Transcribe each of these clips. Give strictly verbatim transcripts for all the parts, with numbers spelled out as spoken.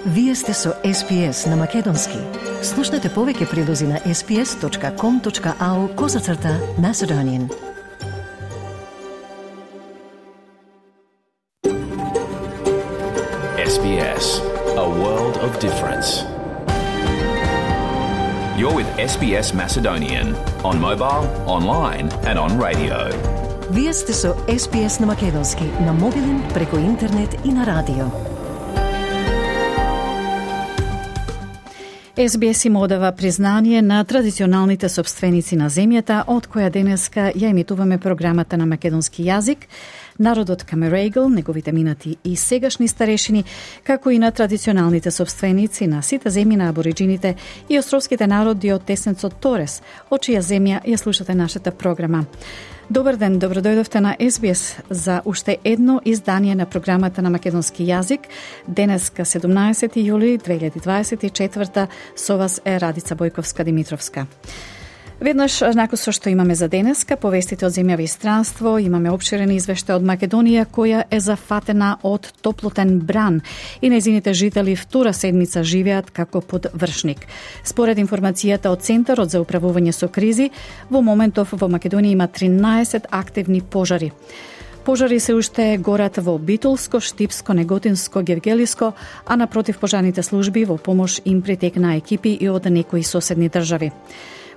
Вие сте со Ес Би Ес на Македонски. Слушнете повеќе прилози на ес би ес точка ком точка ау козацрта Macedonian. Ес Би Ес, a world of difference. You're with Ес Би Ес Macedonian on mobile, online and on radio. Вие сте со Ес Би Ес на Македонски, на мобилен, преку интернет и на радио. Ес Би Ес им одава признание на традиционалните собственици на земјата, од која денеска ја емитуваме програмата на македонски јазик, народот Камерегл, неговите минати и сегашни старешини, како и на традиционалните собственици на сите земји на абориджините и островските народи од тесенцот Торес, од чија земја ја слушате нашата програма. Добар ден, добродојдовте на Ес Би Ес за уште едно издание на програмата на македонски јазик. Денеска седумнаесети јули две илјади дваесет и четврта со вас е Радица Бојковска-Димитровска. Веднаш, нако со што имаме за денеска, повестите од земјава и странство, имаме обширен извештај од Македонија, која е зафатена од топлотен бран и нејзините жители втора седмица живеат како под вршник. Според информацијата од Центарот за управување со кризи, во моментов во Македонија има тринаесет активни пожари. Пожари се уште горат во Битолско, Штипско, Неготинско, Гевгелиско, а на противпожарните служби во помош им притекна екипи и од некои соседни држави.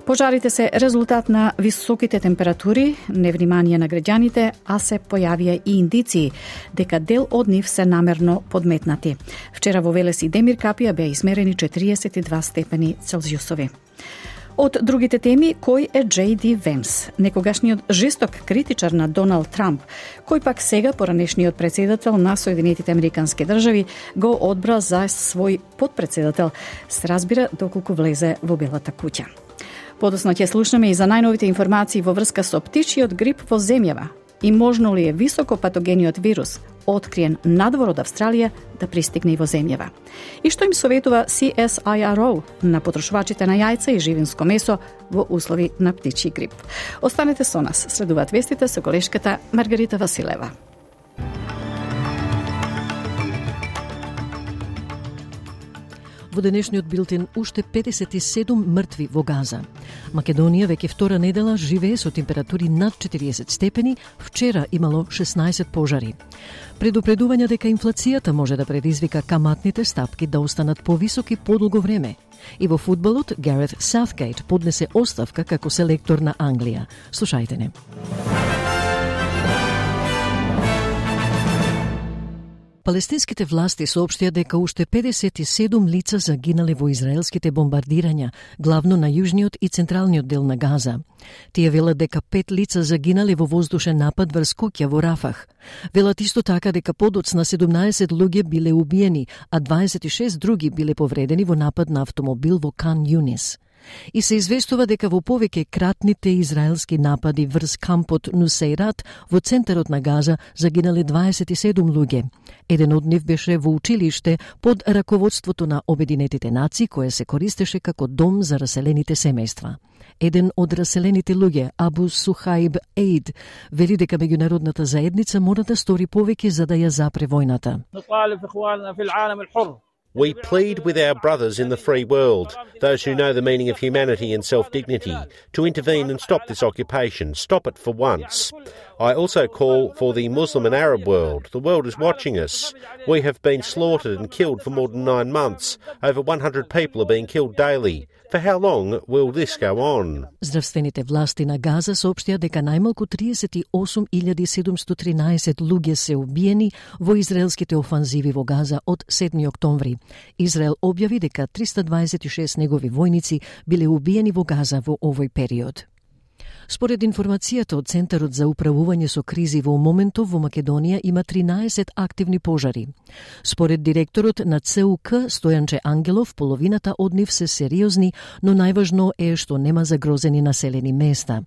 Пожарите се резултат на високите температури, невнимание на граѓаните, а се појавија и индиции дека дел од нив се намерно подметнати. Вчера во Велес и Демир Капија беа измерени четириесет и два степени Целзиусови. Од другите теми, кој е Џей Ди Венс, некогашниот жесток критичар на Доналд Трамп, кој пак сега поранешниот председател на Соединетите Американски држави го одбра за свој подпредседател, се разбира доколку влезе во Белата куќа. Подоцна ќе слушнеме и за најновите информации во врска со птичиот грип во земјава и можно ли е високопатогениот вирус, откриен надвор од Австралија, да пристигне и во земјава. И што им советува Си Ес Ај Ар О на потрошувачите на јајца и живинско месо во услови на птичи грип. Останете со нас, следуваат вестите со колешката Маргарита Василева. Во денешниот билтен уште педесет и седум мртви во Газа. Македонија веќе втора недела живее со температури над четириесет степени, вчера имало шеснаесет пожари. Предупредување дека инфлацијата може да предизвика каматните стапки да останат повисоки подолго време. И во фудбалот Гарет Саутгейт поднесе оставка како селектор на Англија. Слушајте не. Палестинските власти соопштија дека уште педесет и седум лица загинале во израелските бомбардирања, главно на јужниот и централниот дел на Газа. Тие велат дека пет лица загинале во воздушен напад врз куќа во Рафах. Велат исто така дека подоцна седумнаесет луѓе биле убиени, а дваесет и шест други биле повредени во напад на автомобил во Кан Јунис. И се известува дека во повеќе кратните израелски напади врз кампот Нусејрат во центарот на Газа загинале дваесет и седум луѓе. Еден од нив беше во училиште под раководството на Обединетите нации, кое се користеше како дом за раселените семејства. Еден од раселените луѓе, Абу Сухаиб Ейд, вели дека меѓународната заедница мора да стори повеќе за да ја запре војната. We plead with our brothers in the free world, those who know the meaning of humanity and self-dignity, to intervene and stop this occupation, stop it for once. I also call for the Muslim and Arab world. The world is watching us. We have been slaughtered and killed for more than nine months. Over one hundred people are being killed daily. For how long will this go on? Здравствените власти на Газа соопштија дека најмалку триесет и осум илјади седумстотини и тринаесет луѓе се убиени во израелските офанзиви во Газа од седми октомври. Израел објави дека триста дваесет и шест негови војници биле убиени во Газа во овој период. Според информацијата од Центарот за управување со кризи, во моментов во Македонија има тринаесет активни пожари. Според директорот на Це У К Стојанче Ангелов, половината од нив се сериозни, но најважно е што нема загрозени населени места.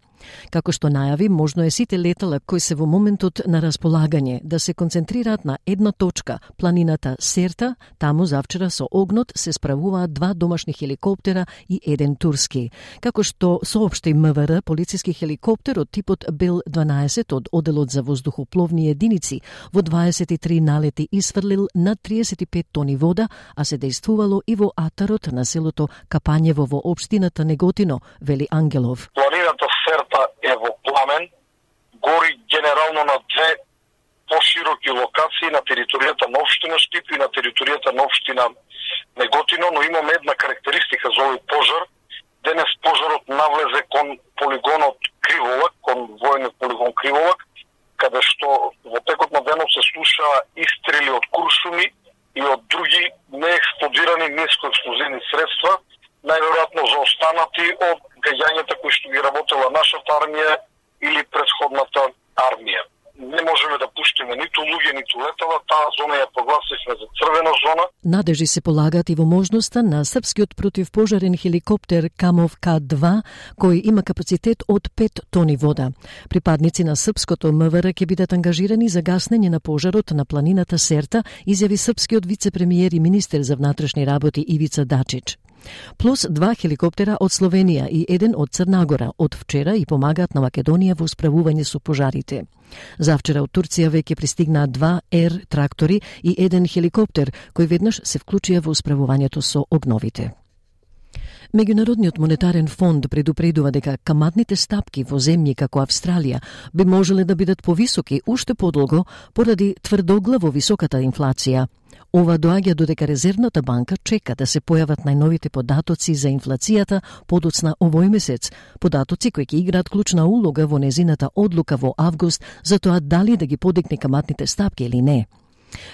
Како што најави, можно е сите летала кои се во моментот на располагање да се концентрираат на една точка, планината Серта. Таму завчера со огнот се справуваат два домашни хеликоптера и еден турски. Како што соопшти МВР, полициски хеликоптер од типот Бел дванаесет од Оделот за воздухопловни единици во дваесет и три налети исфрлил над триесет и пет тони вода, а се дејствувало и во атарот на селото Капањево во општината Неготино, вели Ангелов. Планината Серта е во пламен, гори генерално на две пошироки локации на територијата на општина Штип и на територијата на општина Неготино, но имаме една карактеристика за овој пожар. Денес пожарот навлезе кон полигонот Криволак, кон војниот полигон Криволак, каде што во текот на денот се слуша истрели од куршуми и од други неексплодирани нискоексплозивни средства, најверојатно заостанати од гаѓањата кои што ги работела нашата армија или претходната армија. Не можеме да пуштиме ниту луѓе, ниту летала, таа зона ја прогласивме за црвена зона. Надежи се полагаат и во можноста на српскиот противпожарен хеликоптер Камов К два, кој има капацитет од пет тони вода. Припадници на српското МВР ќе бидат ангажирани за гаснење на пожарот на планината Серта, изјави српскиот вице-премиер и министер за внатрешни работи Ивица Дачич. Плюс два хеликоптера од Словенија и еден од Црнагора од вчера и помагаат на Македонија во справување со пожарите. Завчера од Турција веќе пристигнаа два ер трактори и еден хеликоптер кои веднаш се вклучија во справувањето со огновите. Меѓународниот монетарен фонд предупредува дека каматните стапки во земји како Австралија би можеле да бидат повисоки уште подолго поради тврдоглаво високата инфлација. Ова доаѓа додека Резервната банка чека да се појават најновите податоци за инфлацијата подоцна овој месец, податоци кои ќе играат клучна улога во незината одлука во август за тоа дали да ги подигне каматните стапки или не.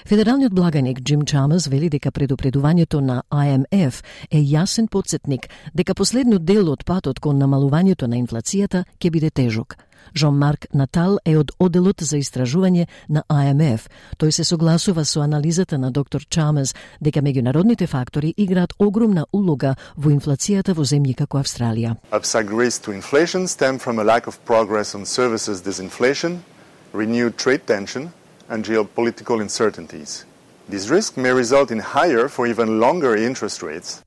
Федералниот благаник Джим Чамерс вели дека предупредувањето на А М Ф е јасен потсетник дека последниот дел од патот кон намалувањето на инфлацијата ќе биде тежок. Жон-Марк Натал е од Оделот за истражување на А М Ф. Тој се согласува со анализата на доктор Чамерс дека меѓународните фактори играат огромна улога во инфлацијата во земји како Австралија. Upside risks to inflation stem from a lack of progress on services disinflation, renewed trade tension, and geopolitical uncertainties. This risk may result in higher for even longer interest rates.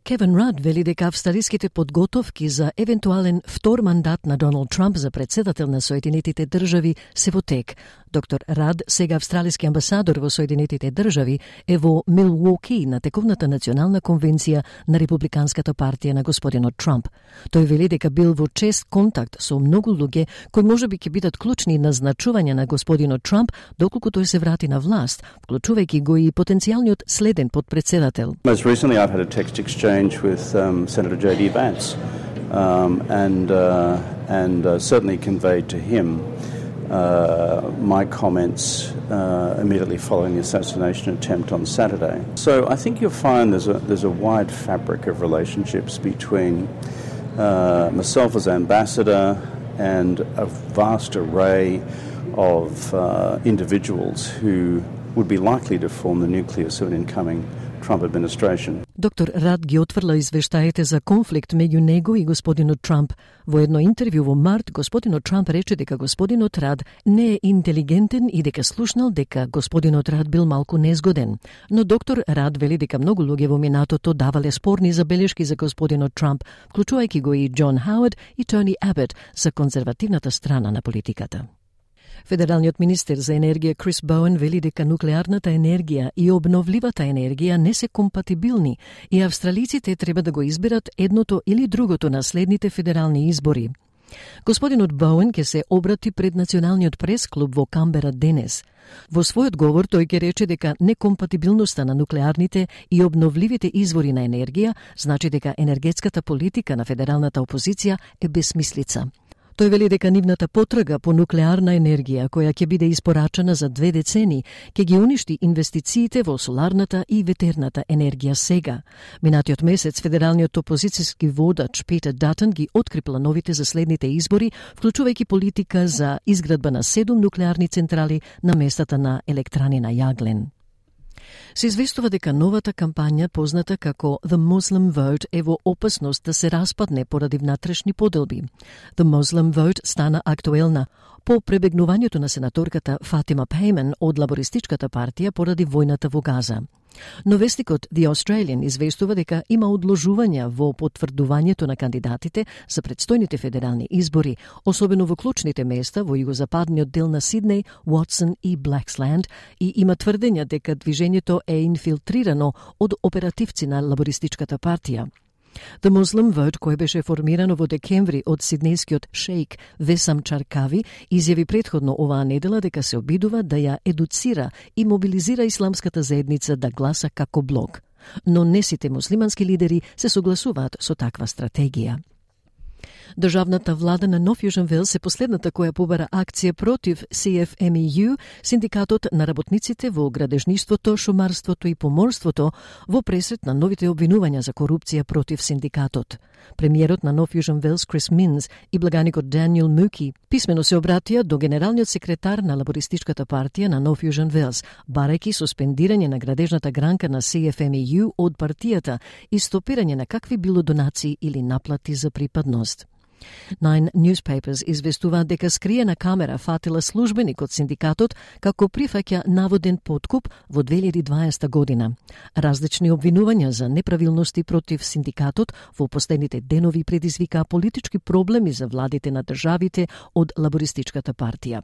Кевин Рад вели дека австралиските подготовки за евентуален втор мандат на Доналд Трамп за председател на Соединетите држави се во тек. Доктор Рад, сега австралиски амбасадор во Соединетите држави, е во Милуоки на тековната национална конвенција на Републиканската партија на господинот Трамп. Тој вели дека бил во чест контакт со многу луѓе кои можеби ќе бидат клучни назначување на господинот Трамп доколку тој се врати на власт, вклучувајќи го и потенцијалниот следен подпредседател. Most recently I've had a text exchange with um, Senator J D Vance um, and uh, and uh, certainly conveyed to him uh, my comments uh, immediately following the assassination attempt on Saturday. So I think you'll find there's a there's a wide fabric of relationships between uh, myself as ambassador and a vast array of uh, individuals who would be likely to form the nucleus of an incoming Trump administration. Доктор Рад ги отврла извештаите за конфликт меѓу него и господинот Трамп. Во едно интервју во март, господинот Трамп рече дека господинот Рад не е интелигентен и дека слушнал дека господинот Рад бил малку незгоден. Но доктор Рад вели дека многу луѓе во минатото давале спорни забелешки за господинот Трамп, вклучувајќи го и Џон Хауард и Тони Абет за конзервативната страна на политиката. Федералниот министер за енергија Крис Боуен вели дека нуклеарната енергија и обновливата енергија не се компатибилни и австралиците треба да го изберат едното или другото на следните федерални избори. Господинот Боуен ќе се обрати пред Националниот прес-клуб во Камбера денес. Во својот говор тој ќе рече дека некомпатибилноста на нуклеарните и обновливите извори на енергија значи дека енергетската политика на федералната опозиција е безсмислица. Тој вели дека нивната потрага по нуклеарна енергија, која ќе биде испорачена за две децени, ќе ги уништи инвестициите во соларната и ветерната енергија сега. Минатиот месец федералниот опозицијски водач Питер Датон ги откри плановите за следните избори, вклучувајќи политика за изградба на седум нуклеарни централи на местата на електрани на јаглен. Се известува дека новата кампања, позната како The Muslim Vote, е во опасност да се распадне поради внатрешни поделби. The Muslim Vote стана актуелна по пребегнувањето на сенаторката Фатима Пейман од лабористичката партија поради војната во Газа. Но вестникот The Australian известува дека има одложувања во потврдувањето на кандидатите за предстојните федерални избори, особено во клучните места во југозападниот дел на Сиднеј, Уотсон и Блаксленд, и има тврдења дека движењето е инфилтрирано од оперативци на лабористичката партија. The Muslim Vote, кој беше формирано во декември од сиднејскиот шејк Весам Чаркави, изјави претходно оваа недела дека се обидува да ја едуцира и мобилизира исламската заедница да гласа како блок. Но не сите муслимански лидери се согласуваат со таква стратегија. Државната влада на Нов Јужен Велс е последната која побара акција против Си Еф Ем И Ју, синдикатот на работниците во градежништвото, шумарството и поморството, во пресрет на новите обвинувања за корупција против синдикатот. Премиерот на Нов Јужен Велс Крис Минс и благаникот Даниел Муки писмено се обратија до генералниот секретар на лабористичката партија на Нов Јужен Велс, барајќи суспендирање на градежната гранка на Си Еф Ем И Ју од партијата и стопирање на какви било донации или наплати за припадност. Nine Newspapers известуваат дека скриена камера фатила службеник од синдикатот како прифаќа наводен подкуп во две илјади и дваесета година. Различни обвинувања за неправилности против синдикатот во последните денови предизвикаа политички проблеми за владите на државите од лабористичката партија.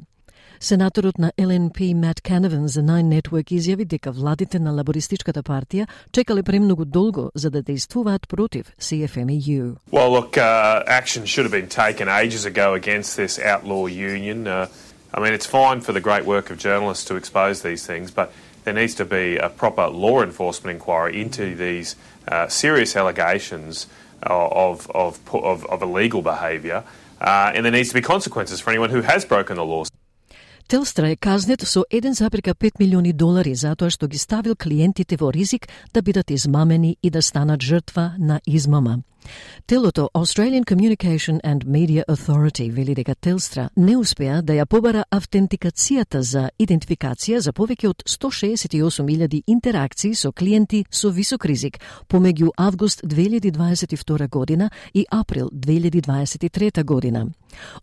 Сенаторот на Ел Ен Пи Мат Канаван за Nine Network изјави дека владите на лабористичката партија чекале премногу долго за да действуваат против Си Еф Ем И Ју. Well, look, uh, action should have been taken ages ago against this outlaw union. Uh, I mean, it's fine for the great work of journalists to expose these things, but there needs to be a proper law enforcement inquiry into these uh, serious allegations of, of, of, of illegal behaviour, uh, and there needs to be consequences for anyone who has broken the laws. Телстра е казнет со еден запирка пет милиони долари затоа што ги ставил клиентите во ризик да бидат измамени и да станат жртва на измама. Телото Australian Communication and Media Authority вели дека Телстра не успеа да ја побара автентикацијата за идентификација за повеќе од сто шеесет и осум илјади интеракции со клиенти со висок ризик помеѓу август две илјади дваесет и втора година и април две илјади дваесет и трета година.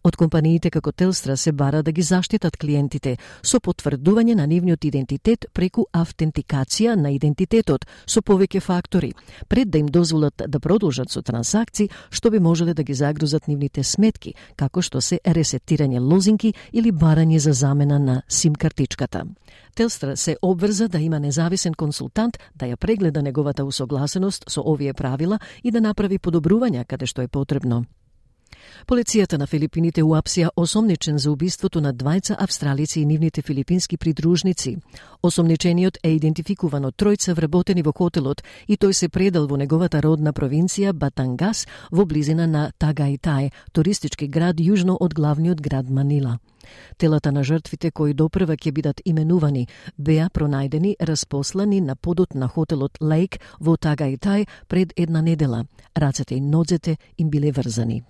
Од компаниите како Телстра се бара да ги заштитат клиентите со потврдување на нивниот идентитет преку автентикација на идентитетот со повеќе фактори, пред да им дозволат да продолжат со трансакции што би можеле да ги загрузат нивните сметки, како што се ресетирање лозинки или барање за замена на сим картичката. Телстра се обврза да има независен консултант да ја прегледа неговата усогласеност со овие правила и да направи подобрувања каде што е потребно. Полицијата на Филипините уапсија осомничен за убиството на двајца австралици и нивните филипински придружници. Осомничениот е идентификуван од тројца вработени во хотелот и тој се предал во неговата родна провинција Батангас во близина на Тагајтај, туристички град јужно од главниот град Манила. Телата на жртвите кои допрва ќе бидат именувани беа пронајдени распослани на подот на хотелот Лейк во Тагајтај пред една недела. Рацете и нозете им биле врзани.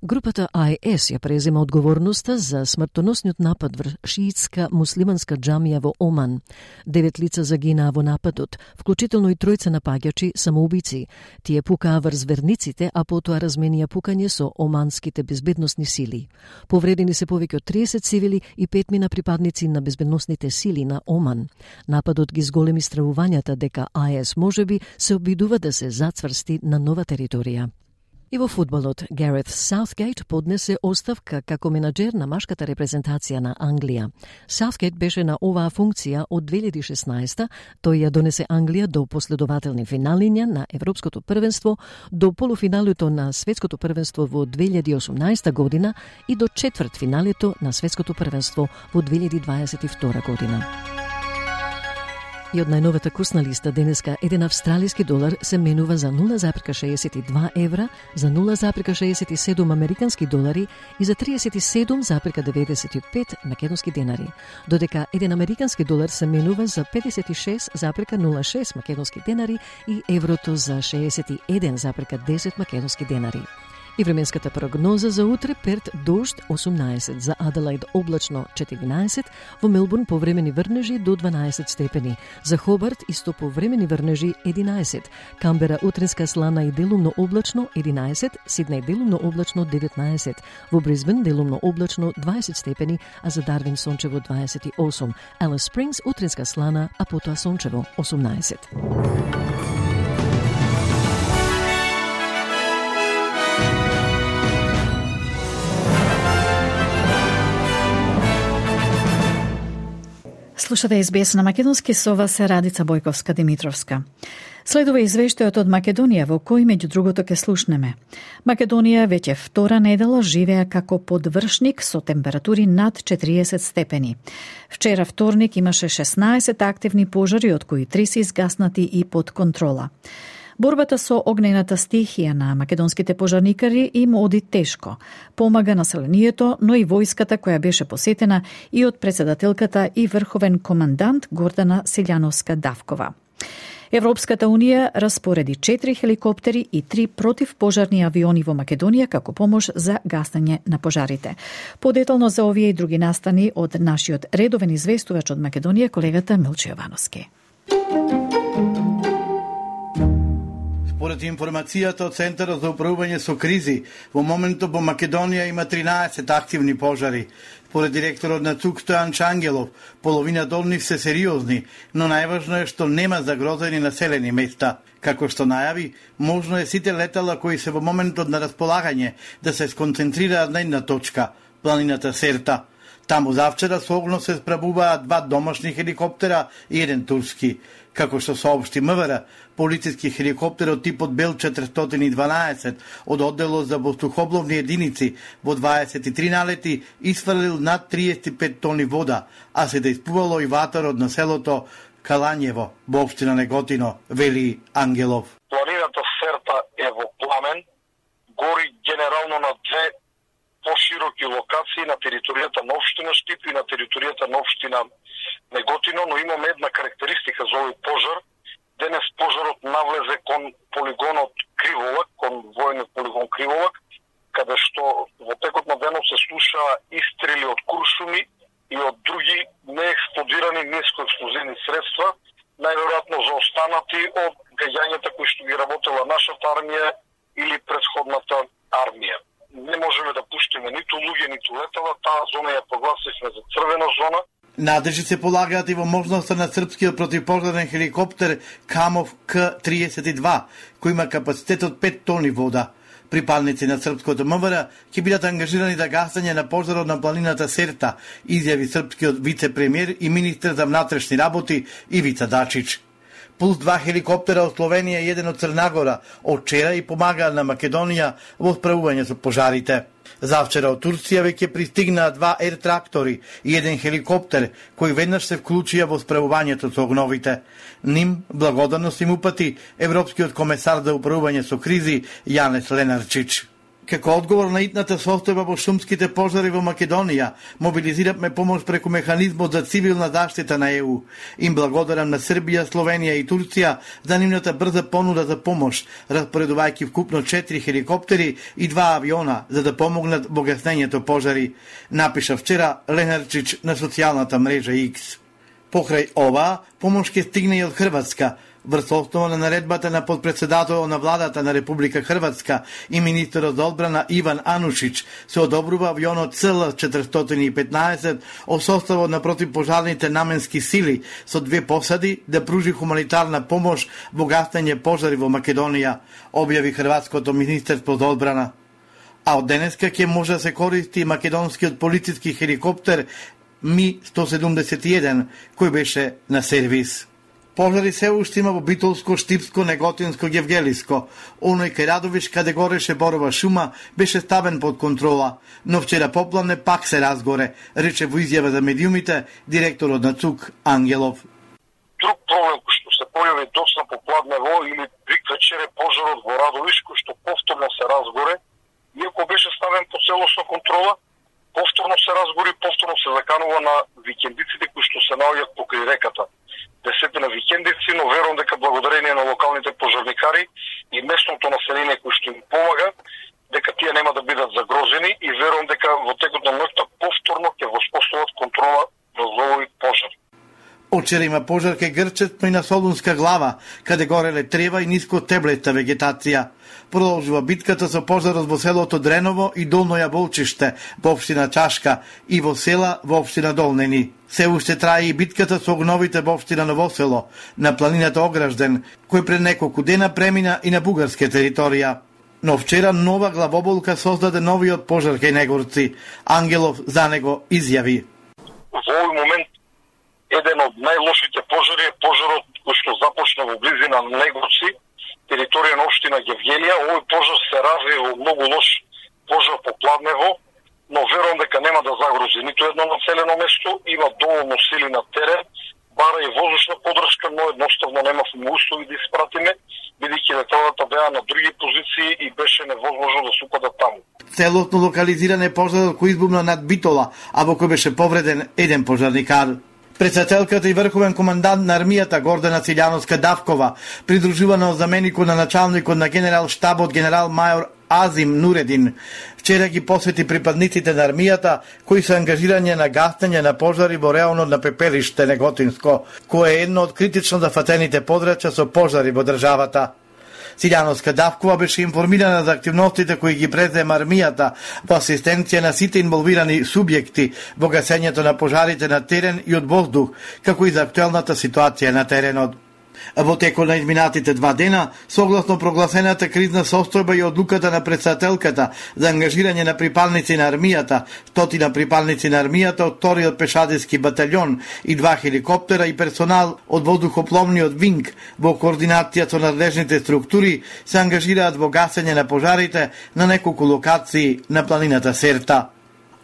Групата Ай Ес ја презема одговорноста за смртоносниот напад врз шиитска муслиманска џамија во Оман. Девет лица загинаа во нападот, вклучително и тројца напаѓачи самоубици. Тие пукаа врз верниците, а потоа разменија пукање со оманските безбедносни сили. Повредени се повеќе од триесет цивили и петмина припадници на безбедносните сили на Оман. Нападот ги зголеми стравувањата дека Ай Ес можеби се обидува да се зацврсти на нова територија. И во фудбалот, Гарет Саутгейт поднесе оставка како менаџер на машката репрезентација на Англија. Саутгейт беше на оваа функција од две илјади и шеснаесета, тој ја донесе Англија до последователни финалиња на Европското првенство, до полуфиналето на Светското првенство во две илјади и осумнаесета година и до четвртфиналето на Светското првенство во две илјади дваесет и втора година. И од најновата курсна листа денеска еден австралиски долар се менува за нула запирка шеесет и два евра, за нула запирка шеесет и седум американски долари и за триесет и седум запирка деветдесет и пет македонски денари, додека еден американски долар се менува за педесет и шест запирка нула шест македонски денари и еврото за шеесет и еден запирка десет македонски денари. И временската прогноза за утре: Перт дожд осумнаесет, за Аделаид облачно четиринаесет, во Мелбурн повремени врнежи до дванаесет степени, за Хобарт исто повремени врнежи единаесет, Камбера утринска слана и делумно облачно единаесет, Сиднеј делумно облачно деветнаесет, во Брисбен делумно облачно дваесет степени, а за Дарвин сончево дваесет и осум, Алис Спрингс утринска слана, а потоа сончево осумнаесет. Слушате Ес Би Ес на македонски, со вас е Радица Бојковска-Димитровска. Следува извештајот од Македонија, во кој меѓу другото ке слушнеме. Македонија веќе втора недела живеа како подвршник со температури над четириесет степени. Вчера вторник имаше шеснаесет активни пожари, од кои три се изгаснати и под контрола. Борбата со огнената стихија на македонските пожарникари им оди тешко. Помага населението, но и војската која беше посетена и од председателката и врховен командант Гордана Селјановска-Давкова. Европската Унија распореди четири хеликоптери и три противпожарни авиони во Македонија како помош за гасење на пожарите. Подетално за овие и други настани од нашиот редовен известувач од Македонија, колегата Милчо Јовановски. Според информацијата од Центарот за управување со кризи, во моментот во Македонија има тринаесет активни пожари. Според директорот на ЦУК Стојан Чангелов, половината од нив се сериозни, но најважно е што нема загрозени населени места. Како што најави, можно е сите летала кои се во моментот на располагање да се сконцентрираат на една точка, планината Серта. Таму завчера со огно се справуваат два домашни хеликоптера и еден турски. Како што соопшти МВР, полициски хеликоптер од типот Бел четиристотини и дванаесет од одделот за воздухопловни единици во дваесет и три налети исфрлил над триесет и пет тони вода, а се да испувало и ватар од населото Калањево во општина Неготино, вели Ангелов. Планината Серта е во пламен, гори генерално на две пошироки локации на територијата на општина Штип и на територијата на општина Неготино, но имаме една карактеристика за овој пожар. Денес пожарот навлезе кон полигонот Криволак, кон војниот полигон Криволак, каде што во текот на денот се слуша истрели од куршуми и од други неексплодирани нискоексплозивни средства, најверојатно заостанати од гаѓањата кои што ги работела нашата армија или претходната армија. Не можеме да пуштиме ниту луѓе, ниту летала, таа зона ја прогласивме за црвена зона. Надежи се полагаат и во можноста на српскиот противпожарен хеликоптер Камов К триесет и два, кој има капацитет од пет тони вода. Припадници на српското МВР ќе бидат ангажирани за гасење на пожарот на планината Серта, изјави српскиот вице-премиер и министер за внатрешни работи Ивица Дачич. Плюс два хеликоптера од Словенија и еден од Црнагора од вчера и помагаат на Македонија во справување со пожарите. Завчера од Турција веќе пристигнаа два ер-трактори и еден хеликоптер, кои веднаш се вклучија во справувањето со огновите. Ним благодарност им упати Европскиот комесар за управување со кризи Јанес Ленарчич. Како одговор на итната состојба во шумските пожари во Македонија, мобилизираме помош преку механизмот за цивилна заштита на Е У. Им благодарам на Србија, Словенија и Турција за нивната брза понуда за помош, распоредувајќи вкупно четири хеликоптери и два авиона за да помогнат во гаснењето пожари, напиша вчера Ленарчич на социјалната мрежа Икс. Покрај ова, помош ќе стигне и од Хрватска. Врз основа на наредбата на подпредседател на владата на Република Хрватска и министерот за одбрана Иван Анушич се одобрува авионот Ц Л четиристотини и петнаесет од составот на противпожарните наменски сили со две посади да пружи хуманитарна помош во гасење пожари во Македонија, објави Хрватското министерство за одбрана. А од денеска ќе може да се користи македонскиот полициски хеликоптер Ми сто седумдесет и еден, кој беше на сервис. Пожари се уште има во Битолско, Штипско, Неготинско, Гевгелиско. Оној кај Радовиш, каде гореше борова шума, беше ставен под контрола, но вчера попладне пак се разгоре, рече во изјава за медиумите директорот на ЦУК Ангелов. Друг проблем кој што се појави доцна попладнево или приквечер е пожарот во Радовиш, кој што повторно се разгоре, иако беше ставен под целосна контрола, повторно се разгори, повторно се заканува на викендиците кои што се наоѓаат покрај реката. Десетина викендици, но верувам дека благодарение на локалните пожарникари и местното население кои што им помага, дека тие Вчера има пожар кај Грчет, но и на Солунска глава, каде гореле трева и ниско теблета вегетација. Продолжува битката со пожарот во селото Дреново и Долно Јаволчиште во општина Чашка и во села во општина Долнени. Се уште трае и битката со огновите во општина Новосело, на планината Огражден, кој пред неколку дена премина и на бугарска територија. Но вчера нова главоболка создаде новиот пожар кај Негорци. Ангелов за него изјави: Во овој момент еден од најлошите пожари е пожарот кој што започна во близина на Негорци, територија на општина Гевгелија. Овој пожар се разви во многу лош пожар по Пладнево, но верувам дека нема да загрози ниту едно населено место, има доволно сили на терен, бара и воздушна подршка, но едноставно немавме услови да испратиме, бидејќи леталата беа на други позиции и беше невозможно да се упадат таму. Целосно локализиран е пожарот кој избумна над Битола, а во кој беше повреден еден пожарникар. Председателката и врховен командант на армијата Гордана Силјановска-Давкова, придружувана од заменикот на началникот на генерал штабот генерал мајор Азим Нуредин, вчера ги посвети припадниците на армијата кои се ангажирање на гасење на пожари во реално на пепелиште Неготинско, кое е едно од критично зафатените подрачја со пожари во државата. Силјановска-Давкова беше информирана за активностите кои ги презема армијата во асистенција на сите инволвирани субјекти во гасењето на пожарите на терен и од воздух, како и за актуелната ситуација на теренот. Во текот на изминатите два дена, согласно прогласената кризна состојба и одлуката на председателката за ангажирање на припадници на армијата, стотина припадници на армијата од вториот пешадиски батальон и два хеликоптера и персонал од воздухопловниот винг во координација со надлежните структури се ангажираат во гасење на пожарите на неколку локации на планината Серта.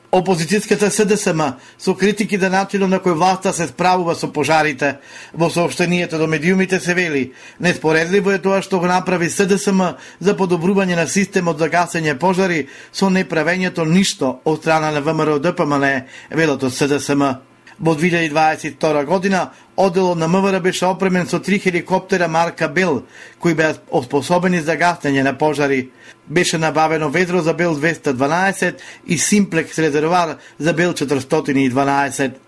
Опозицијската СДСМ со критики за начинот на кој власта се справува со пожарите. Во соопштението до медиумите се вели: неспоредливо е тоа што го направи СДСМ за подобрување на системот за гасење пожари со неправењето ништо од страна на ВМРО Д П М Н, велат од СДСМ. Во две илјади дваесет и втора година, одделот на МВР беше опремен со три хеликоптера марка Бел, кои беа оспособени за гасење на пожари. Беше набавено ведро за Бел двеста дванаесет и Симплекс резервоар за Бел четиристотини и дванаесет.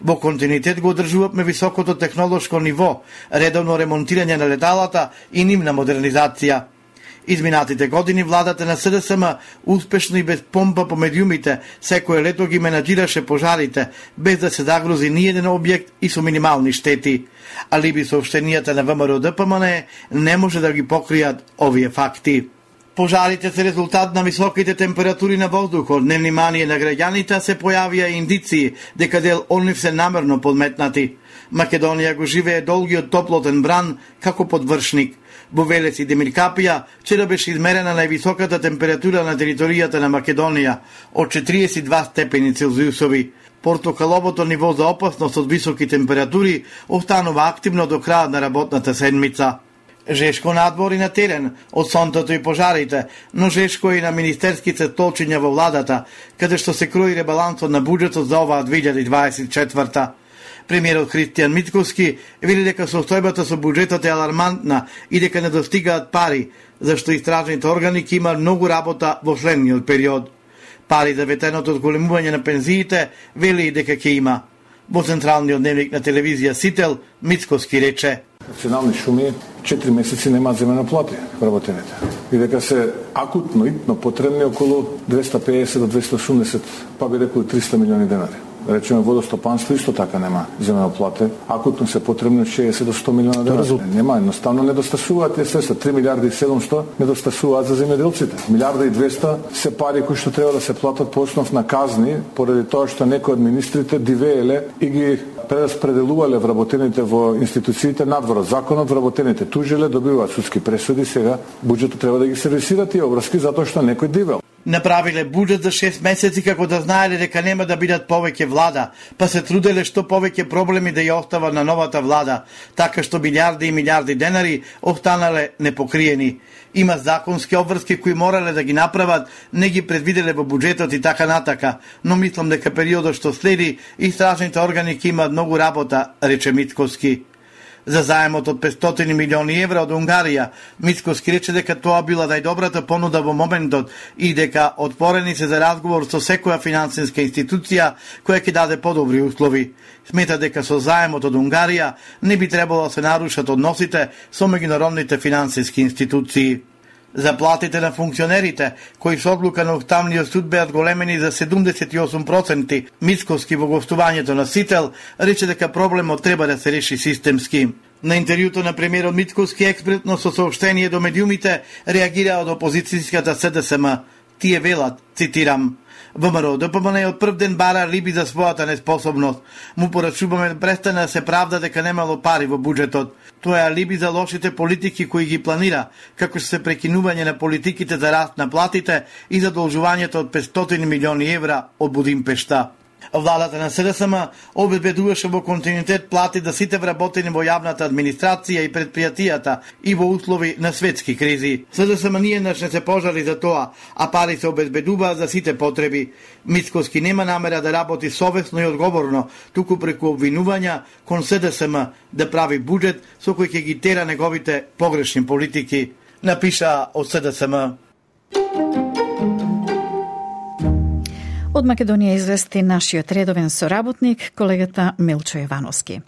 Во континуитет го одржувавме високото технолошко ниво, редовно ремонтирање на леталата и нивна модернизација. Изминатите години владата на СДСМ успешно и без помпа по медиумите секое лето ги менаџираше пожарите, без да се загрози ниеден објект и со минимални штети. Алиби соопштенијата на ВМРО Д П М Н не може да ги покријат овие факти. Пожарите се резултат на високите температури на воздухот, невнимание на граѓаните, се појавија индиции дека дел од нив се намерно подметнати. Македонија го живее долгиот топлотен бран како подвршник. Во Велес и Демиркапија вчера беше измерена највисоката температура на територијата на Македонија од четириесет и два степени Целзиусови. Портокаловото ниво за опасност од високи температури останува активно до крајот на работната седмица. Жешко надбор и на терен од сонтото и пожарите, но жешко и на министерските столчиња во владата, каде што се крои ребалансот на буџетот за оваа две илјади дваесет и четврта. Премиерот Христијан Мицковски вели дека состојбата со буџетот е алармантна и дека не достигаат пари, зашто истражните органи ќе имаат многу работа во следниот период. Пари за ветеното одголемување на пензиите вели и дека ќе има. Во централниот дневник на телевизија Сител, Мицковски рече: Национални шуми четири месеци немаат земено плати вработените. И дека се акутно, итно потребни околу двеста педесет до двеста осумдесет, па би рекол триста милиони денари. Речеме водостопанство исто така нема земено плате. Акутно се потребни шеесет до сто милиона денари. Нема, едноставно недостасуваат тие средства. три милиарди и седумсто недостасуваат за земјоделците. Милиарда и двеста се пари кои што треба да се платат по основ на казни, поради тоа што некои од министрите дивееле и ги прераспределувале вработените во институциите надвор од законот, вработените тужиле, добиваат судски пресуди, сега буџетот треба да ги сервисира тие обврски затоа што некој дивел. Направиле буџет за шест месеци како да знаеле дека нема да бидат повеќе влада, па се труделе што повеќе проблеми да ја остава на новата влада, така што милиарди и милиарди денари останале непокриени. Има законски обврски кои морале да ги направат, не ги предвиделе во буџетот и така натака, но мислам дека периодот што следи истражните органи ќе имаат многу работа, рече Мицковски. За заемот од петстотини милиони евра од Унгарија, Мицкоски рече дека тоа била најдобрата понуда во моментот и дека отворени се за разговор со секоја финансиска институција која ќе даде подобри услови. Смета дека со заемот од Унгарија не би требало да се нарушат односите со меѓународните финансиски институции. Заплатите на функционерите, кои со одлука на Уставниот суд беа големени за седумдесет и осум проценти, Мицкоски во гостувањето на Сител рече дека проблемот треба да се реши системски. На интервјуто на премиерот Мицкоски експретно со соопштение до медиумите реагира од опозицијската СДСМ. Тие велат, цитирам: ВМРО ДПМН од прв ден бара риби за својата неспособност. Му порачуваме да престане да се правда дека немало пари во буџетот. Тоа е алиби за лошите политики кои ги планира, како што се прекинување на политиките за раст на платите и задолжувањето од петстотини милиони евра од Будимпешта. Владата на СДСМ обезбедуваше во континуитет плати за сите вработени во јавната администрација и предпријатијата и во услови на светски кризи. СДСМ ниеднаш не се пожали за тоа, а пари се обезбедуваат за сите потреби. Мицкоски нема намера да работи совесно и одговорно, туку преку обвинувања кон СДСМ да прави буџет со кој ќе ги тера неговите погрешни политики, напиша од СДСМ. Од Македонија извести нашиот редовен соработник, колегата Милчо Јовановски.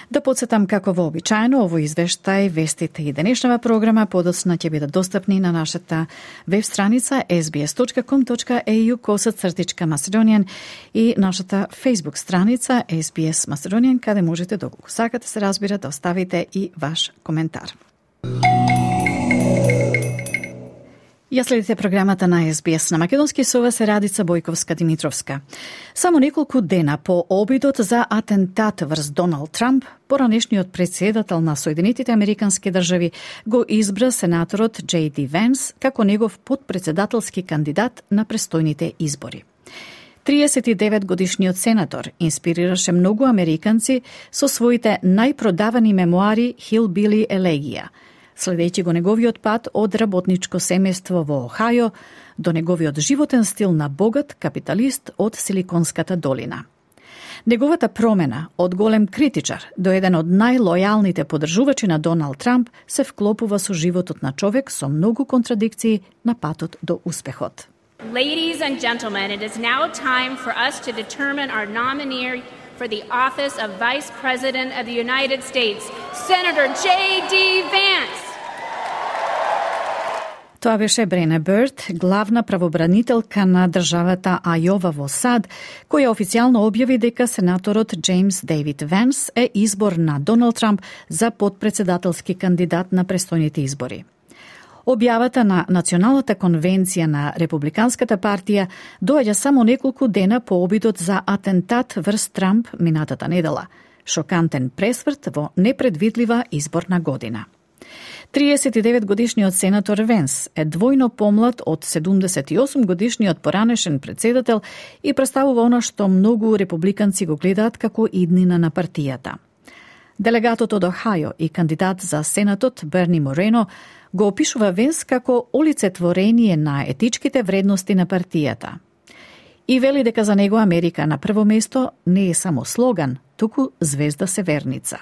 Да подсетам како вообичаено, овој извештај, вестите и денешнава програма подоцна ќе бидат достапни на нашата веб страница ес би ес точка ком точка ей ю косацртичка Macedonian и нашата Facebook страница ес би ес Macedonian, каде можете, доколку сакате се разбира, да оставите и ваш коментар. Ја следите програмата на ес би ес на македонски, со вас е Радица Бојковска-Димитровска. Само неколку дена по обидот за атентат врз Доналд Трамп, поранешниот председател на Соединетите Американски држави го избра сенаторот Џей Ди Венс како негов подпредседателски кандидат на престојните избори. триесет и девет годишниот сенатор инспирираше многу американци со своите најпродавани мемуари Hillbilly Elegia, следејќи го неговиот пат од работничко семејство во Охајо до неговиот животен стил на богат капиталист од Силиконската долина. Неговата промена од голем критичар до еден од најлојалните поддржувачи на Доналд Трамп се вклопува со животот на човек со многу контрадикции на патот до успехот. Ladies and gentlemen, it is now time for us to determine our nominee for the office of Vice President of the United States, Senator Џей Ди Венс. Тоа беше Брене Бърд, главна правобранителка на државата Ајова во САД, која официјално објави дека сенаторот Џејмс Дејвид Венс е избор на Доналд Трамп за подпредседателски кандидат на престојните избори. Објавата на Националната конвенција на Републиканската партија доаѓа само неколку дена по обидот за атентат врз Трамп минатата недела. Шокантен пресврт во непредвидлива изборна година. триесет и девет годишниот сенатор Венс е двојно помлад од седумдесет и осум годишниот поранешен председател и представува она што многу републиканци го гледаат како иднина на партијата. Делегатот од Охајо и кандидат за сенатот Берни Морено го опишува Венс како олицетворение на етичките вредности на партијата. И вели дека за него Америка на прво место не е само слоган, туку звезда северница.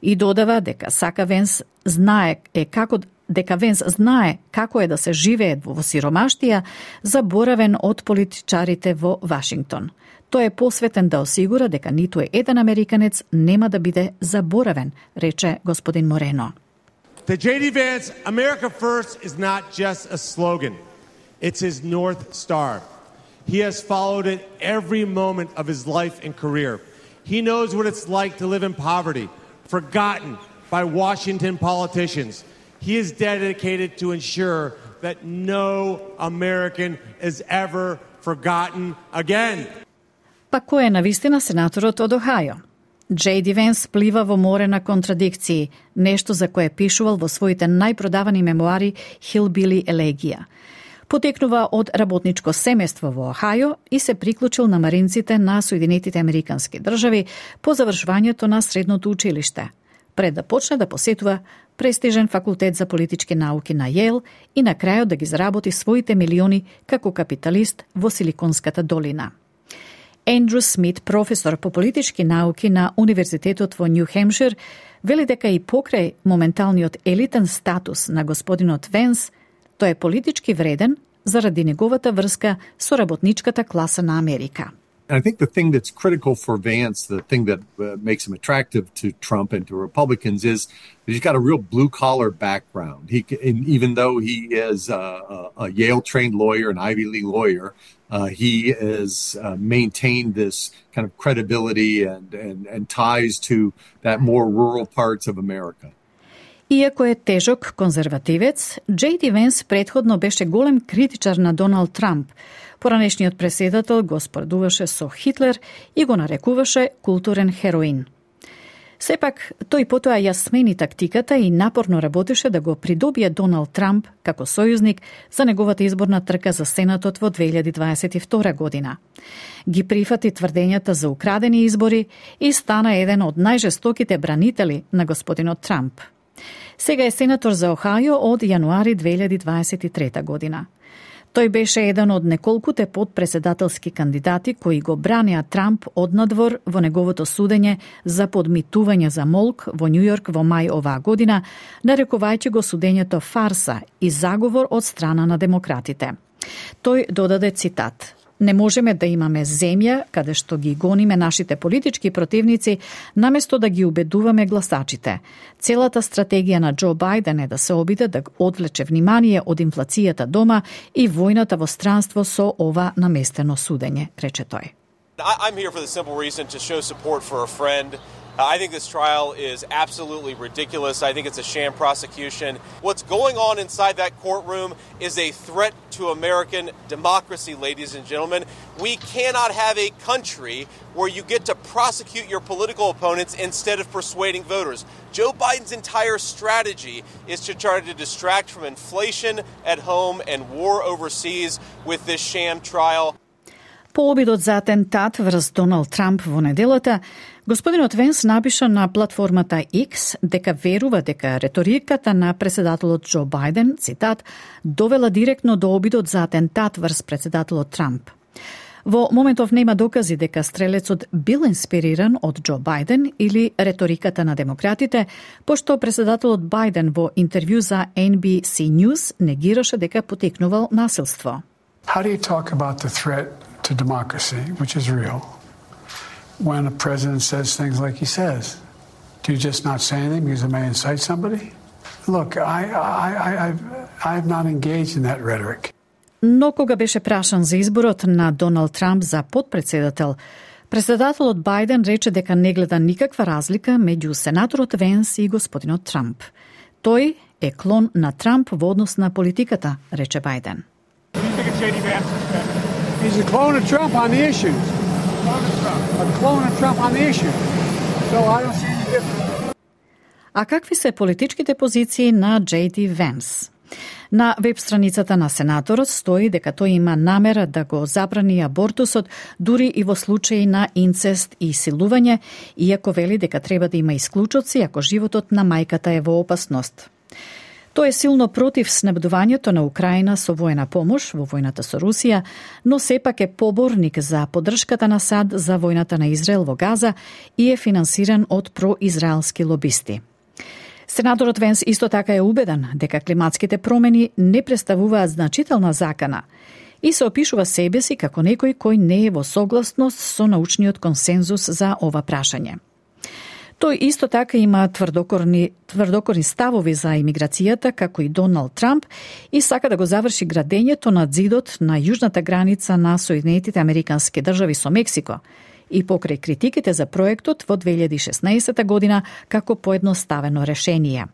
И додава дека сака Венс знае е како дека Венс знае како е да се живее во сиромаштија, заборавен од политичарите во Вашингтон. Тој е посветен да осигура дека ниту еден американец нема да биде заборавен, рече господин Морено. The Џей Ди Vance, America First, is not just a slogan. It's his North Star. He has followed it every moment of his life and career. He knows what it's like to live in poverty, forgotten by Washington politicians. He is dedicated to ensure that no American is ever forgotten again. Па кој е навистина сенаторот од Охајо? Џей Ди Венс плива во море на контрадикции, нешто за кое пишувал во своите најпродавани мемуари Hillbilly Elegia. Потекнува од работничко семејство во Охајо и се приклучил на маринците на Соединетите Американски држави по завршувањето на средното училиште, пред да почне да посетува престижен факултет за политички науки на Јейл и на крајот да ги заработи своите милиони како капиталист во Силиконската долина. Ендрю Смит, професор по политички науки на Универзитетот во Нью Хемшир, вели дека и покрај моменталниот елитен статус на господинот Венс, тој е политички вреден заради неговата врска со работничката класа на Америка. And I think the thing that's critical for Vance, the thing that uh, makes him attractive to Trump and to Republicans is that he's got a real blue-collar background. He, and even though he is a, a Yale-trained lawyer, an Ivy League lawyer, uh, he has uh, maintained this kind of credibility and, and, and ties to that more rural parts of America. Иако е тежок конзервативец, Джей Ди Венс претходно беше голем критичар на Доналд Трамп. Поранешниот преседател го споредуваше со Хитлер и го нарекуваше културен хероин. Сепак, тој потоа ја смени тактиката и напорно работеше да го придобие Доналд Трамп како сојузник за неговата изборна трка за Сенатот во две илјади дваесет и втора година. Ги прифати тврдењата за украдени избори и стана еден од најжестоките бранители на господинот Трамп. Сега е сенатор за Охајо од јануари две илјади дваесет и трета година. Тој беше еден од неколкуте подпредседателски кандидати кои го бранеа Трамп однадвор во неговото судење за подмитување за молк во Њујорк во мај оваа година, нарекувајќи го судењето фарса и заговор од страна на демократите. Тој додаде цитат: "Не можеме да имаме земја каде што ги гониме нашите политички противници, наместо да ги убедуваме гласачите. Целата стратегија на Џо Бајден е да се обиде да одвлече внимание од инфлацијата дома и војната во странство со ова наместено судење", рече тој. I'm here for the simple reason to show support for a friend. Uh, I think this trial is absolutely ridiculous. I think it's a sham prosecution. What's going on inside that courtroom is a threat to American democracy, ladies and gentlemen. We cannot have a country where you get to prosecute your political opponents instead of persuading voters. Joe Biden's entire strategy is to try to distract from inflation at home and war overseas with this sham trial. По обидот за атентат врз Доналд Трамп во неделата, господинот Венс напиша на платформата X дека верува дека реториката на председателот Џо Бајден, цитат, довела директно до обидот за атентат врз председателот Трамп. Во моментов нема докази дека стрелецот бил инспириран од Џо Бајден или реториката на демократите, пошто председателот Бајден во интервју за Ен Би Си News негираше дека потекнувал насилство. How do you talk about the threat to democracy, which is real, when a president says things like he says? Do you just not say anything because it may incite somebody? Look, I, I, I, I've, I've not engaged in that rhetoric. Но кога беше прашан за изборот на Доналд Трамп за подпредседател, председателот Бајден рече дека не гледа никаква разлика меѓу сенаторот Венс и господинот Трамп. Тој е клон на Трамп во однос на политиката, рече Бајден. He's a clone of Trump on the issues. A clone of Trump on the issues. So I don't see any difference. А какви се политичките позиции на Джей Ди Венс? На веб страницата на сенаторот стои дека тој има намера да го забрани абортусот дури и во случаи на инцест и силување, иако вели дека треба да има исклучоци ако животот на мајката е во опасност. Тој е силно против снабдувањето на Украина со војна помош во војната со Русија, но сепак е поборник за поддршката на САД за војната на Израел во Газа и е финансиран од произраелски лобисти. Сенаторот Венс исто така е убеден дека климатските промени не представуваат значителна закана и се опишува себе си како некој кој не е во согласност со научниот консензус за ова прашање. Тој исто така има тврдокорни, тврдокорни ставови за имиграцијата, како и Доналд Трамп, и сака да го заврши градењето на зидот на јужната граница на Соединетите Американски држави со Мексико, и покрај критиките за проектот во две илјади и шеснаесета година како поедноставено решение.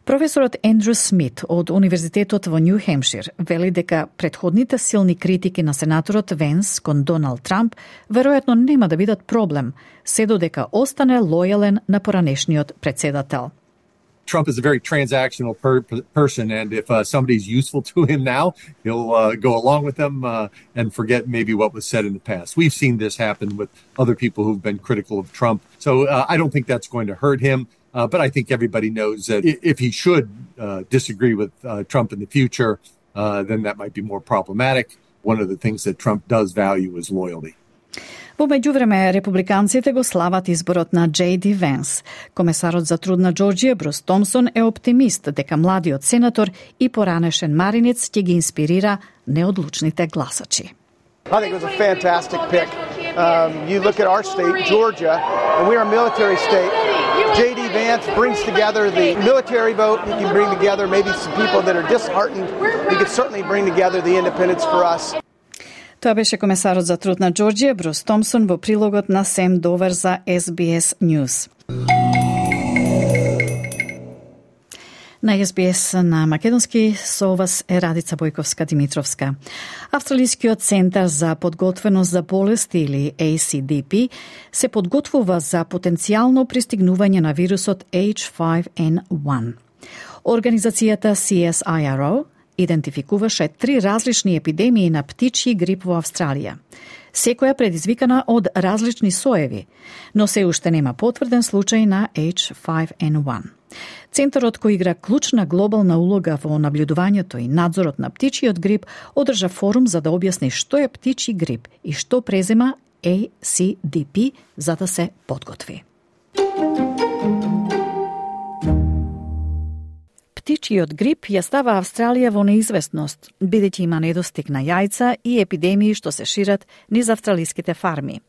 Професорот Ендрю Смит од Универзитетот во Њу Хемшир вели дека претходните силни критики на сенаторот Венс кон Доналд Трамп веројатно нема да бидат проблем, се додека остане лојален на поранешниот председател. Trump is a very transactional per- person, and if uh, somebody's useful to him now, he'll uh, go along with them uh, and forget maybe what was said in the past. We've seen this happen with other people who've been critical of Trump, so uh, I don't think that's going to hurt him. Uh, but I think everybody knows that if he should uh, disagree with uh, Trump in the future, uh, then that might be more problematic. One of the things that Trump does value is loyalty. Во меѓувреме, републиканците го слават изборот на Джей Ди Венс. Комесарот за труд на Џорџија, Брус Томсон, е оптимист дека младиот сенатор и поранешен маринец ќе ги инспирира неодлучните гласачи. I think it was a fantastic pick. Um, you look at our state, Georgia, and we're a military state. J D Vance brings together the military vote. He can bring together maybe some people that are disheartened. He could certainly bring together the independents for us. Тоа беше комесарот за труд на Џорџија, Брус Томсон, во прилогот на Сем Довер за Ес Би Ес News. На Ес Би Ес на македонски со вас е Радица Бојковска-Димитровска. Австралискиот центар за подготвеност за болести или Ей Си Ди Пи се подготвува за потенцијално пристигнување на вирусот Еич фајв Ен еден. Организацијата Си Ес Ај Ар О идентификуваше три различни епидемии на птичји грип во Австралија. Секоја предизвикана од различни соеви, но се уште нема потврден случај на Еич фајв Ен еден. Центарот, кој игра клучна глобална улога во наблюдувањето и надзорот на птичјиот грип, одржа форум за да објасни што е птичји грип и што презема Ей Си Ди Пи за да се подготви. Птичјиот грип ја става Австралија во неизвестност, бидејќи има недостиг на јајца и епидемии што се шират низ австралиските фарми.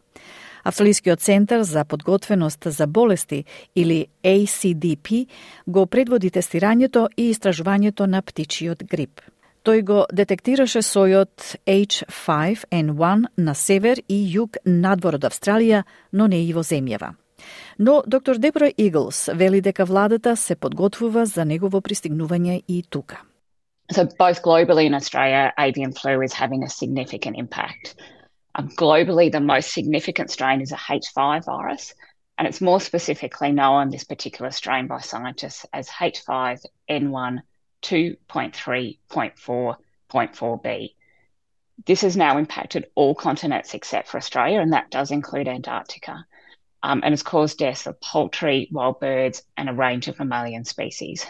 Австралискиот центар за подготвеност за болести или Ей Си Ди Пи го предводи тестирањето и истражувањето на птичјиот грип. Тој го детектираше сојот Еич фајв Ен еден на север и југ надвор од Австралија, но не и во земјава. Но доктор Дебора Иглс вели дека владата се подготвува за негово пристигнување и тука. So both globally and Australia, avian flu is having a significant impact. Um, globally, the most significant strain is a H five virus, and it's more specifically known, this particular strain, by scientists as H five N one two point three point four point four B. This has now impacted all continents except for Australia, and that does include Antarctica. Um, and it's caused deaths of poultry, wild birds, and a range of mammalian species.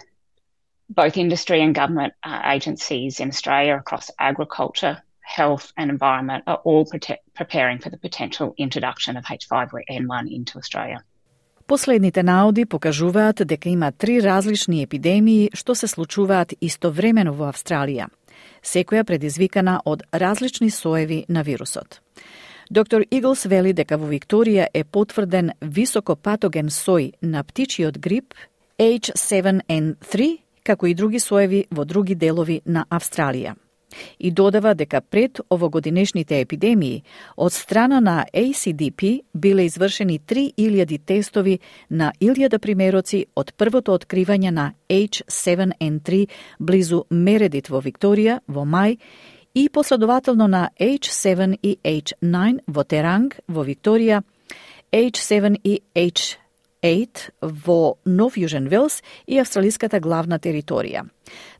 Both industry and government uh, agencies in Australia across agriculture, health and environment are all prote- preparing for the potential introduction of H five N one into Australia. Последните наоди покажуваат дека има три различни епидемии што се случуваат истовремено во Австралија, секоја предизвикана од различни соеви на вирусот. Доктор Иглс вели дека во Викторија е потврден високопатоген сој на птичјиот грип Еич седум Ен три, како и други соеви во други делови на Австралија. И додава дека пред овогодинешните епидемии од страна на Ей Си Ди Пи биле извршени три илјади тестови на илјада примероци од првото откривање на Еич седум Ен три близу Мередит во Викторија во мај и последователно на Еич седум и Еич најн во Теранг во Викторија, Еич седум и Еич осем во Нов Јужен Велс и австралиската главна територија.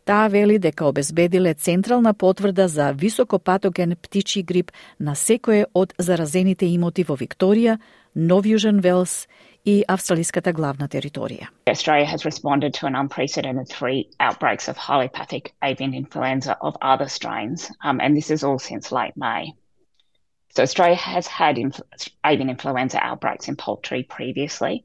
Таа вели дека обезбедиле централна потврда за високопатоген птичји грип на секое од заразените имоти во Викторија, Нов Јужен Велс и австралиската главна територија. Australia has responded to an unprecedented three outbreaks of highly pathic avian influenza of other strains, um, and this is all since late May. So Australia has had inf- avian influenza outbreaks in poultry previously,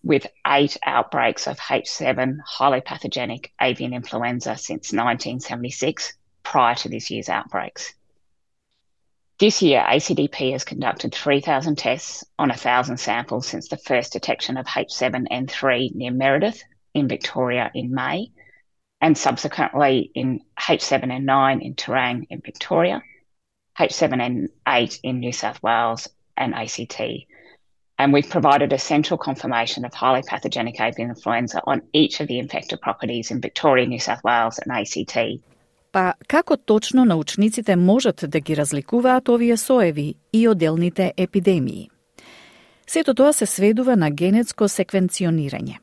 with eight outbreaks of H seven highly pathogenic avian influenza since nineteen seventy-six, prior to this year's outbreaks. This year, A C D P has conducted three thousand tests on one thousand samples since the first detection of H seven N three near Meredith in Victoria in May, and subsequently in H seven N nine in Terang in Victoria, H seven N eight in New South Wales and A C T. And we've provided essential confirmation of highly pathogenic avian influenza on each of the infected properties in Victoria, New South Wales and A C T. Па како точно научниците можат да ги разликуваат овие соеви и отделните епидемии? Сето тоа се сведува на генетско секвенционирање.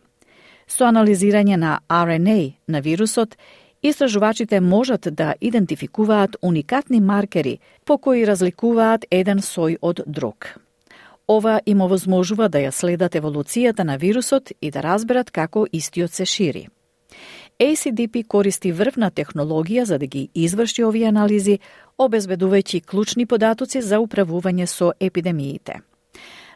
Со анализирање на Ар Ен Ей на вирусот, истражувачите можат да идентификуваат уникатни маркери по кои разликуваат еден сој од друг. Ова им овозможува да ја следат еволуцијата на вирусот и да разберат како истиот се шири. A C D P користи врвна технологија за да ги изврши овие анализи, обезбедувајќи клучни податоци за управување со епидемиите.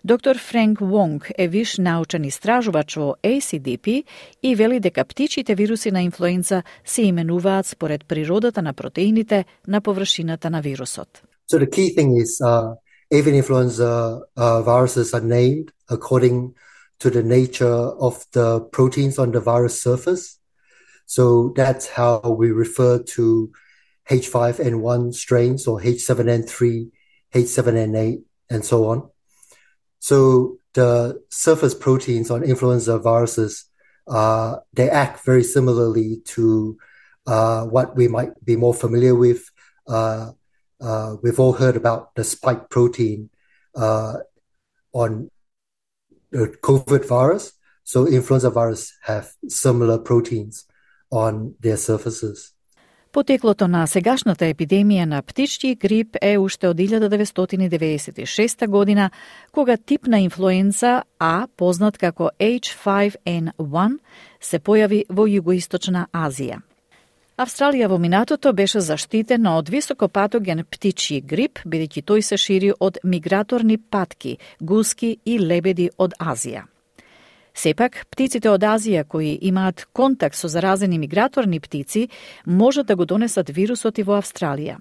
Доктор Френк Вонг е виш научен истражувач во A C D P и вели дека птичите вируси на инфлуенца се именуваат според природата на протеините на површината на вирусот. So the key thing is uh, avian influenza uh, viruses are named according to the nature of the proteins on the virus surface. So that's how we refer to H five N one strains or H seven N three, H seven N eight, and so on. So the surface proteins on influenza viruses, uh, they act very similarly to uh, what we might be more familiar with. Uh, uh, we've all heard about the spike protein uh, on the COVID virus. So influenza virus have similar proteins on their surfaces. Потеклото на сегашната епидемија на птичји грип е уште од илјада деветстотини деветдесет и шеста година, кога тип на инфлуенца А, познат како H five N one, се појави во југоисточна Азија. Австралија во минатото беше заштитена од високопатоген птичји грип, бидејќи тој се шири од миграторни патки, гуски и лебеди од Азија. Сепак, птиците од Азија кои имаат контакт со заразени миграторни птици можат да го донесат вирусот и во Австралија.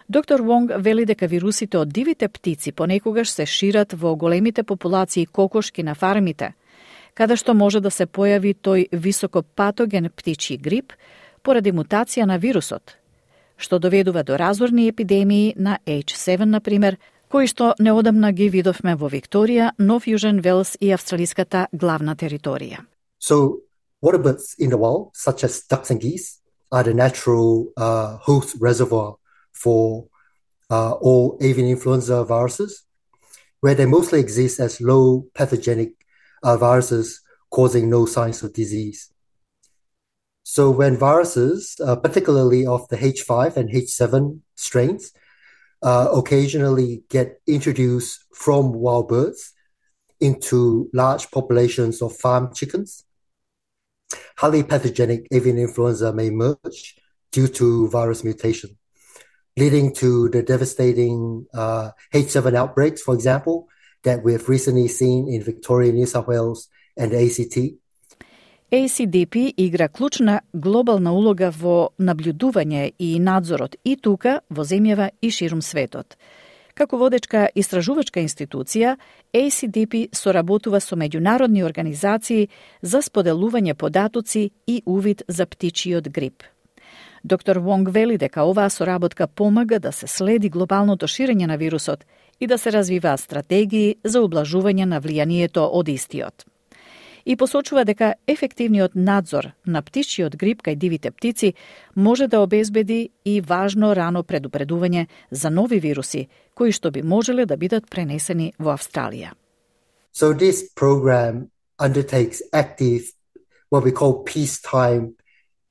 Доктор Вонг вели дека вирусите од дивите птици понекогаш се шират во големите популации кокошки на фармите, каде што може да се појави тој високопатоген птичји грип поради мутација на вирусот, што доведува до разорни епидемии на H seven, например, кои што неодамна ги видовме во Викторија, Нов Јужен Велс и австралиската главна територија. So water birds in the wild, such as ducks and geese, are the natural uh, host reservoir for uh, all avian influenza viruses, where they mostly exist as low pathogenic uh, viruses causing no signs of disease. So when viruses, uh, particularly of the H five and H seven strains, Uh, occasionally get introduced from wild birds into large populations of farm chickens, highly pathogenic avian influenza may emerge due to virus mutation, leading to the devastating uh, H seven outbreaks, for example, that we have recently seen in Victoria, New South Wales, and the A C T. A C D P игра клучна глобална улога во наблюдување и надзорот и тука, во земјава и ширум светот. Како водечка истражувачка институција, A C D P соработува со меѓународни организации за споделување податоци и увид за птичиот грип. Доктор Вонг вели дека оваа соработка помага да се следи глобалното ширење на вирусот и да се развиваат стратегии за ублажување на влијанието од истиот. И посочува дека ефективниот надзор на птичиот грип кај дивите птици може да обезбеди и важно рано предупредување за нови вируси, кои што би можеле да бидат пренесени во Австралија. So this program undertakes active, what we call peacetime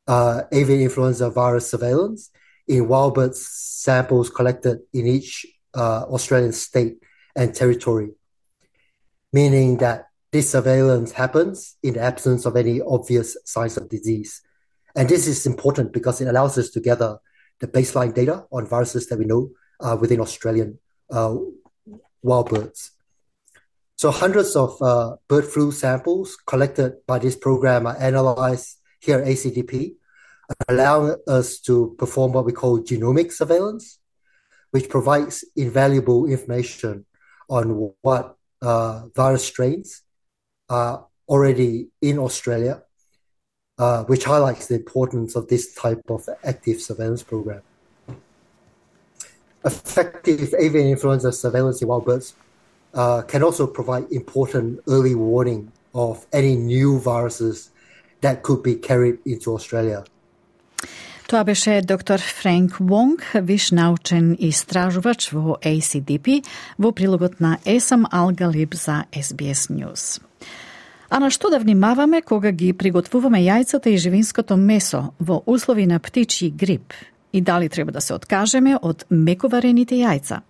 uh, avian influenza virus surveillance in wild bird samples collected in each uh, Australian state and territory, meaning that this surveillance happens in the absence of any obvious signs of disease. And this is important because it allows us to gather the baseline data on viruses that we know uh, within Australian uh, wild birds. So hundreds of uh, bird flu samples collected by this program are analyzed here at A C D P, allowing us to perform what we call genomic surveillance, which provides invaluable information on what uh, virus strains are already in Australia, uh, which highlights the importance of this type of active surveillance program. Effective avian influenza surveillance in wild birds uh, can also provide important early warning of any new viruses that could be carried into Australia. Тоа беше доктор Френк Вонг, виш научен истражувач во A C D P, во прилогот на Есам Алгалиб за S B S News. А на што да внимаваме кога ги приготвуваме јајцата и живинското месо во услови на птичји грип? И дали треба да се откажеме од мековарените јајца?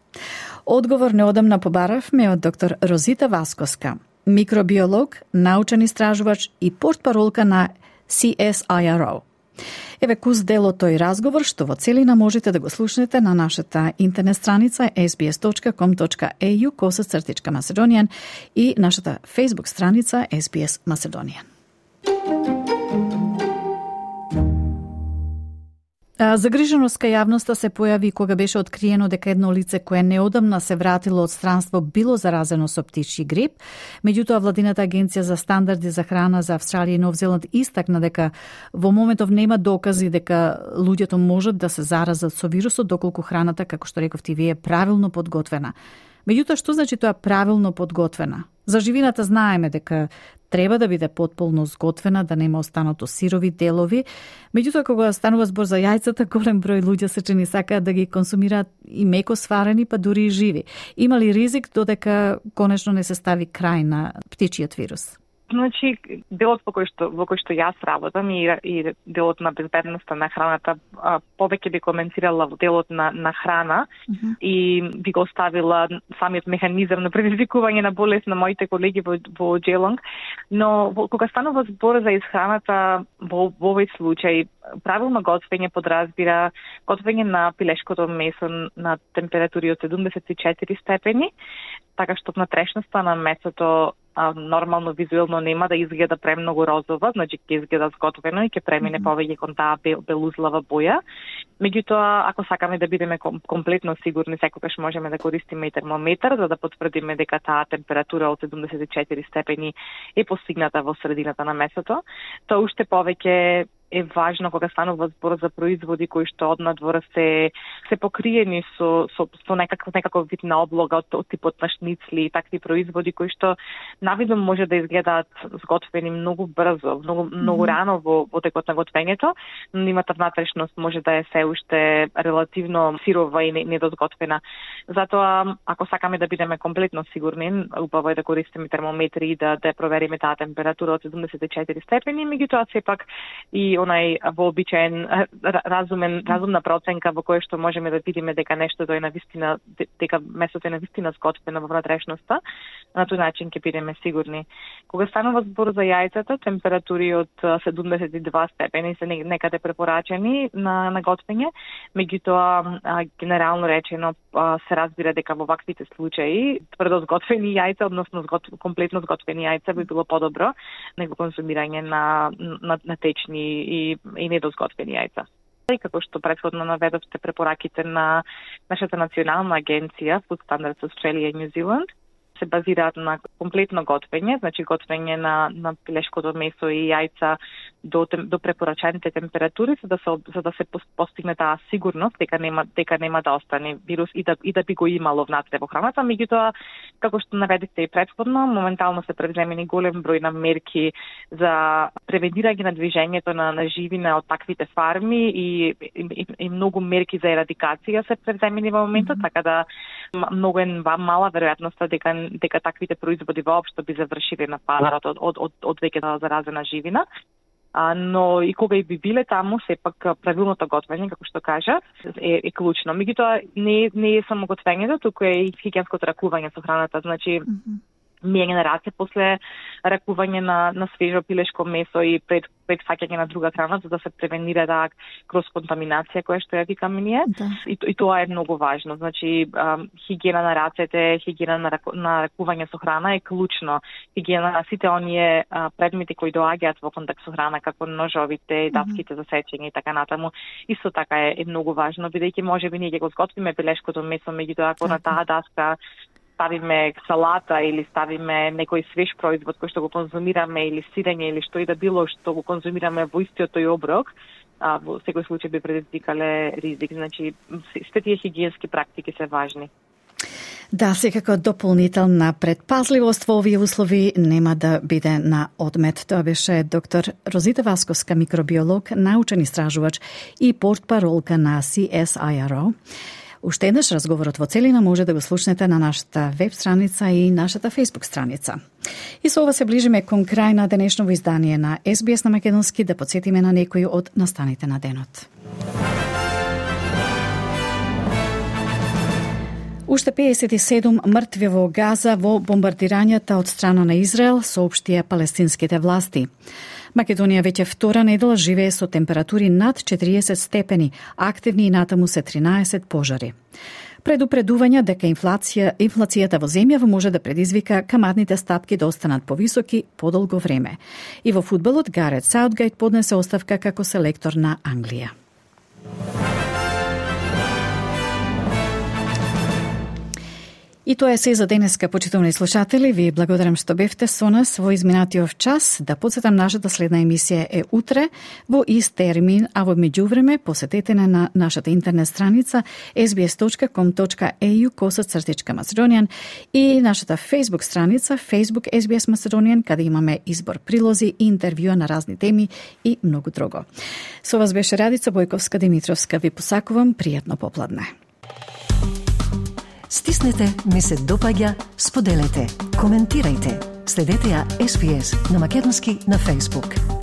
Одговор неодамна побаравме од доктор Розита Васкоска, микробиолог, научен истражувач и портпаролка на C S I R O. Еве кус дел од тој разговор што во целина можете да го слушнете на нашата интернет страница ес би ес точка ком точка е ю косацртичка Macedonian и нашата Facebook страница ес би ес Macedonian. Загриженост кај јавноста се појави кога беше откриено дека едно лице кое неодамна се вратило од странство било заразено со птичји грип. Меѓутоа, владината агенција за стандарди за храна за Австралија и Нов Зеланд истакна дека во моментов нема докази дека луѓето можат да се заразат со вирусот доколку храната, како што рековте вие, е правилно подготвена. Меѓутоа, што значи тоа правилно подготвена? За живината знаеме дека треба да биде потполно зготвена, да нема останато сирови делови. Меѓутоа, кога станува збор за јајцата, голем број луѓе се чини сакаат да ги консумираат и меко сварени, па дури и живи. Има ли ризик додека конечно не се стави крај на птичиот вирус? Значи, делот во кој што во кој што јас работам и, и делот на безбедноста на храната, а, повеќе би коментирала во делот на, на храна mm-hmm. и би го оставила самиот механизам на предизвикување на болест на моите колеги во, во Джелонг. Но во, кога станува збор за исхраната во, во овој случај, правилно готвење подразбира готвење на пилешкото месо на температури од седумдесет и четири степени, така што внатрешноста на месото а, нормално визуелно нема да изгледа премногу розова, значи ќе изгледа зготвено и ќе премине mm-hmm. повеќе кон таа бел, белузлава боја. Меѓутоа, ако сакаме да бидеме ком, комплетно сигурни, секогаш можеме да користиме и термометар за да потврдиме дека таа температура од седумдесет и четири степени е постигната во средината на месото. Тоа уште повеќе е важно кога станува збор за производи кои што однадвор се се покриени со со, со некаков некаков вид на облога од, од типот на шницли и такви производи кои што навидом може да изгледаат зготвени многу брзо, многу многу mm-hmm. рано во во текот на готвењето, но нивната внатрешност може да е се уште релативно сирова и недозготвена. Затоа, ако сакаме да бидеме комплетно сигурни, убаво е да користиме термометри и да да провериме таа температура од седумдесет и четири степени, меѓутоа сепак и онај вообичаен разумен разумна проценка во која што можеме да видиме дека нештото е навистина, дека месото е навистина зготвено во внатрешноста, на тој начин ќе бидеме сигурни. Кога станува збор за јајцата, температури од седумдесет и два степени се некаде препорачени на на готвење, меѓутоа генерално речено се разбира дека во ваквите случаи тврдо зготвени јајца, односно згот, комплетно зготвени јајца би било подобро него консумирање на на, на течни и, и недозготвени јајца. И како што претходно наведовте препораките на нашата национална агенција Food Standards Australia и New Zealand се базираат на комплетно готвење, значи готвење на на пилешкото месо и јајца до до препорачаните температури за да се за да се постигне таа сигурност дека нема дека нема да остане вирус и да и да би го имало внатре во храната. Меѓутоа, како што наведете и претходно, моментално се преземени голем број на мерки за превенирање на движењето на на живина од таквите фарми и и, и многу мерки за ерадикација се преземени во моментот, така да многу е мала веројатноста дека дека таквите производи воопшто би завршиле на пазарот од од од, од веќе заразена живина. А, но и кога и би биле таму, сепак правилното готвење, како што кажа, е, е клучно. Меѓутоа, не, не е само готвењето, туку е и хигиенското ракување со храната. Значи, mm-hmm. мијање на раце после ракување на, на свежо пилешко месо и пред, пред фаќање на друга храна, за да се превенира да кроз контаминација која што ја викаме ние. Да. И, и тоа е многу важно. Значи, а, хигиена на рацете, хигиена на, раку, на ракување со храна е клучно. Хигиена на сите оние а, предмети кои доаѓаат во контакт со храна, како ножовите, даските mm-hmm. за сечење и така натаму, исто така е, е многу важно, бидејќи можеби ние ќе го зготвиме пилешкото месо, меѓутоа ако на таа даска ставиме салата или ставиме некој свеж производ кој што го конзумираме или сирење или што и да било што го конзумираме во истиот тој оброк, а, во секој случај би предизвикале ризик. Значи, сите тие хигиенски практики се важни. Да, секако дополнителна предпазливост во овие услови нема да биде на одмет. Тоа беше доктор Розита Васковска, микробиолог, научен истражувач и портпаролка на C S I R O. Уште еднаш разговорот во целина може да го слушнете на нашата веб страница и нашата Facebook страница. И со ова се ближиме кон крај на денешново издание на С Б С на македонски, да подсетиме на некои од настаните на денот. Уште педесет и седум мртви во Газа во бомбардирањата од страна на Израел, соопштија палестинските власти. Македонија веќе втора недела живее со температури над четириесет степени, активни и натаму се тринаесет пожари. Предупредувања дека инфлација, инфлацијата во земјава може да предизвика каматните стапки да останат повисоки подолго време. И во фудбалот Гарет Саутгейт поднесе оставка како селектор на Англија. И тоа е се за денеска, почитувани слушатели. Ви благодарам што бевте со нас во изминатиот час. Да подсетам, нашата следна емисија е утре во ист термин, а во меѓувреме посетете на нашата интернет страница ес би ес точка ком точка е ю косацртичка Macedonian и нашата Facebook страница Facebook ес би ес Macedonian, каде имаме избор прилози и интервјуа на разни теми и многу друго. Со вас беше Радица Бојковска Димитровска. Ви посакувам пријатно попладне. Стиснете, ми се допаѓа, споделете, коментирајте. Следете ја ес би ес на македонски на Facebook.